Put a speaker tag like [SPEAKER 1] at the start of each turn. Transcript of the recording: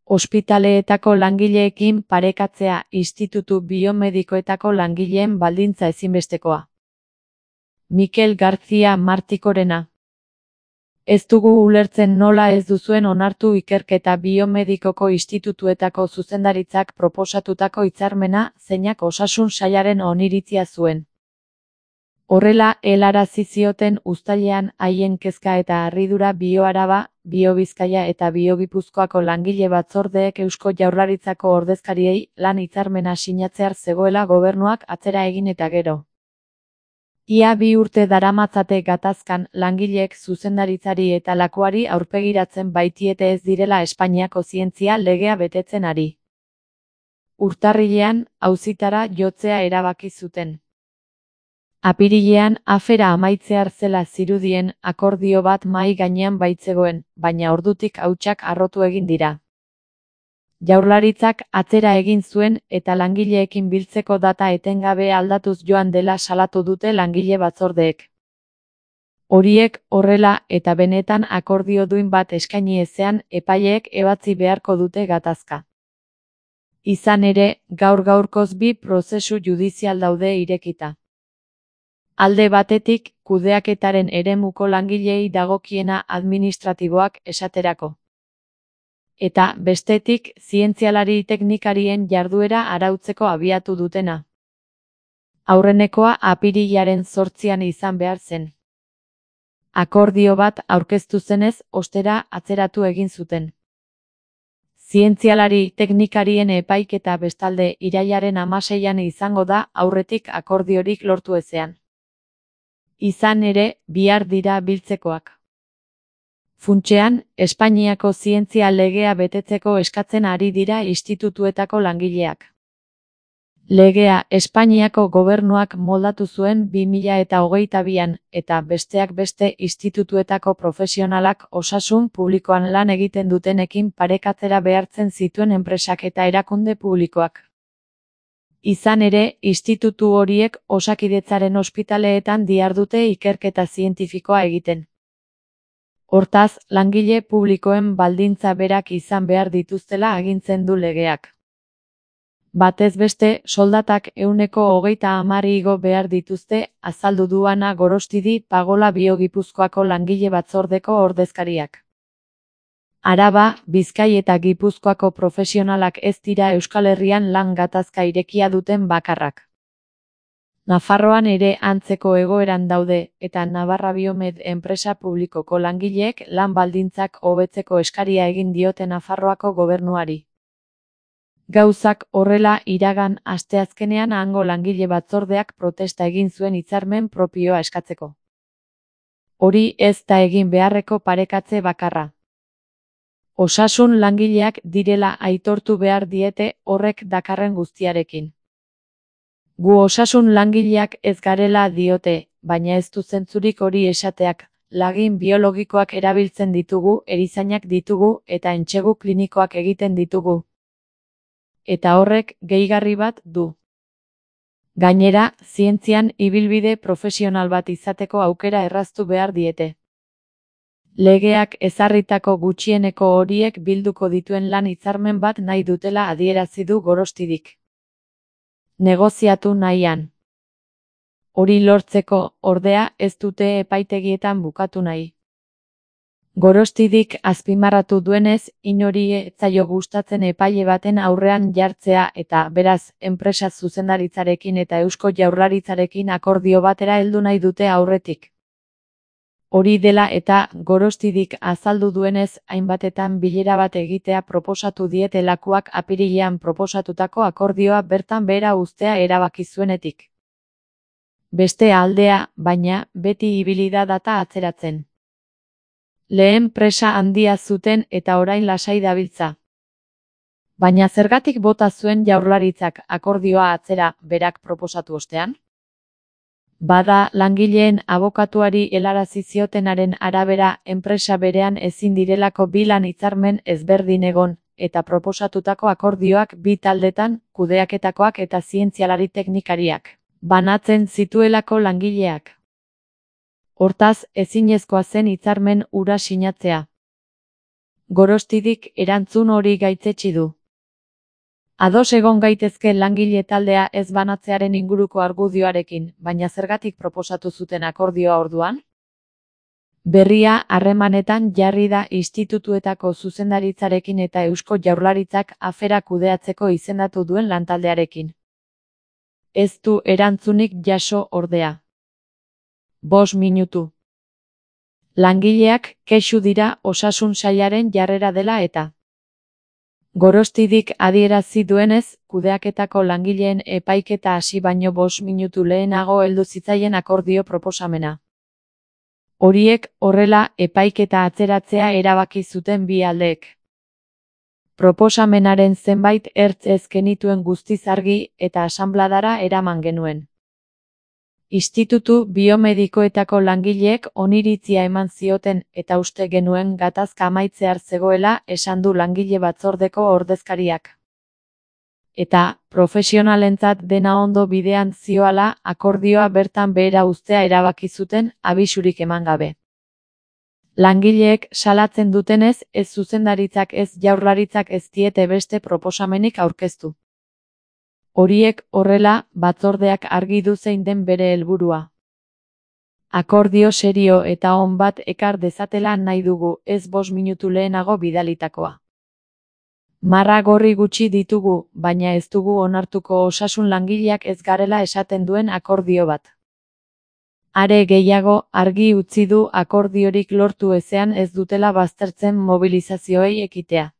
[SPEAKER 1] Ospitaleetako langileekin parekatzea institutu biomedikoetako langileen baldintza ezinbestekoa. Mikel García Martikorena. Ez dugu ulertzen nola ez duzuen onartu ikerketa biomedikoko institutuetako zuzendaritzak proposatutako hitzarmena zeinak osasun sailaren oniritzia zuen. Horrela helarazi zioten uztailean haien kezka eta harridura BioAraba, BioBizkaia eta BioGipuzkoako langile batzordeek Eusko Jaurlaritzako ordezkariei lan hitzarmena sinatzear zegoela gobernuak atzera egin eta gero. Ia 2 urte daramatzate gatazkan langileek zuzendaritzari eta lakuari aurpegiratzen baitiete ez direla Espainiako zientzia legea betetzen ari. Urtarrilean auzitara jotzea erabaki zuten. Apirilean afera amaitzear zela zirudien akordio bat mahai gainean baitzegoen, baina ordutik hautsak harrotu egin dira. Jaurlaritzak atzera egin zuen eta langileekin biltzeko data etengabe aldatuz joan dela salatu dute langile batzordeek. Horiek horrela eta benetan akordio duin bat eskaini ezean epaileek ebatzi beharko dute gatazka. Izan ere, gaur-gaurkoz 2 prozesu judizial daude irekita. Alde batetik, kudeaketaren eremuko langileei dagokiena administratiboak esaterako. Eta, bestetik, zientzialari teknikarien jarduera arautzeko abiatu dutena. Aurrenekoa apirilaren 8an izan behar zen. Akordio bat aurkeztu zenez, ostera atzeratu egin zuten. Zientzialari teknikarien epaiketa bestalde irailaren 16an izango da aurretik akordiorik lortu ezean. Izan ere, bihar dira biltzekoak. Funtsean, Espainiako zientzia legea betetzeko eskatzen ari dira institutuetako langileak. Legea Espainiako gobernuak moldatu zuen 2022an eta besteak beste institutuetako profesionalak osasun publikoan lan egiten dutenekin parekatzera behartzen zituen enpresak eta erakunde publikoak. Izan ere, institutu horiek Osakidetzaren ospitaleetan dihardute ikerketa zientifikoa egiten. Hortaz, langile publikoen baldintza berak izan behar dituztela agintzen du legeak. Batez beste, soldatak 130 igo behar dituzte, azaldu du Ana Gorostidi Pagola BioGipuzkoako langile batzordeko ordezkariak. Araba, Bizkai eta Gipuzkoako profesionalak ez dira Euskal Herrian lan gatazka irekia duten bakarrak. Nafarroan ere antzeko egoeran daude eta Navarra Biomed enpresa publikoko langileek lan baldintzak hobetzeko eskaria egin diote Nafarroako gobernuari. Gauzak horrela iragan asteazkenean hango langile batzordeak protesta egin zuen hitzarmen propioa eskatzeko. Hori ez da egin beharreko parekatze bakarra. Osasun langileak direla aitortu behar diete horrek dakarren guztiarekin. Gu osasun langileak ez garela diote, baina ez du zentzurik hori esateak, lagin biologikoak erabiltzen ditugu, erizainak ditugu eta entsegu klinikoak egiten ditugu. Eta horrek gehigarri bat du. Gainera, zientzian ibilbide profesional bat izateko aukera erraztu behar diete. Legeak ezarritako gutxieneko horiek bilduko dituen lan hitzarmen bat nahi dutela adierazi du Gorostidik. Negoziatu nahian. Hori lortzeko, ordea, ez dute epaitegietan bukatu nahi. Gorostidik azpimarratu duenez, inori ez zaio gustatzen epaile baten aurrean jartzea eta, beraz, enpresa zuzendaritzarekin eta Eusko Jaurlaritzarekin akordio batera heldu nahi dute aurretik. Hori dela eta, Gorostidik azaldu duenez, hainbatetan bilera bat egitea proposatu diete lakuak apirilean proposatutako akordioa bertan behera uztea erabaki zuenetik. Beste aldea, baina, beti ibili da data atzeratzen. Lehen presa handia zuten eta orain lasai dabiltza. Baina zergatik bota zuen Jaurlaritzak akordioa atzera berak proposatu ostean? Bada, langileen abokatuari helarazi ziotenaren arabera enpresa berean ezin direlako 2 lan hitzarmen ezberdin egon, eta proposatutako akordioak 2 taldetan, kudeaketakoak eta zientzialari teknikariak, banatzen zituelako langileak. Hortaz, ezinezkoa zen hitzarmen hura sinatzea. Gorostidik erantzun hori gaitzetsi du. Ados egon gaitezke langile taldea ez banatzearen inguruko argudioarekin, baina zergatik proposatu zuten akordioa orduan? Berria harremanetan jarri da institutuetako zuzendaritzarekin eta Eusko Jaurlaritzak afera kudeatzeko izendatu duen lantaldearekin. Ez du erantzunik jaso ordea. 5 minutu. Langileak kexu dira osasun sailaren jarrera dela eta. Gorostidik adierazi duenez, kudeaketako langileen epaiketa hasi baino 5 minutu lehenago heldu zitzaien akordio proposamena. Horiek horrela epaiketa atzeratzea erabaki zuten bi aldeek. Proposamenaren zenbait ertz ez genituen guztiz argi eta asanbladara eraman genuen. Institutu biomedikoetako langileek oniritzia eman zioten eta uste genuen gatazka amaitzear zegoela esan du langile batzordeko ordezkariak. Eta, profesionalentzat dena ondo bidean zioala akordioa bertan behera uztea erabaki zuten abisurik eman gabe. Langileek salatzen dutenez, ez zuzendaritzak ez Jaurlaritzak ez diete beste proposamenik aurkeztu. Horiek horrela, batzordeak argi du zein den bere helburua. Akordio serio eta on bat ekar dezatela nahi dugu, ez 5 minutu lehenago bidalitakoa. Marra gorri gutxi ditugu, baina ez dugu onartuko osasun langileak ez garela esaten duen akordio bat. Are gehiago, argi utzi du akordiorik lortu ezean ez dutela baztertzen mobilizazioei ekitea.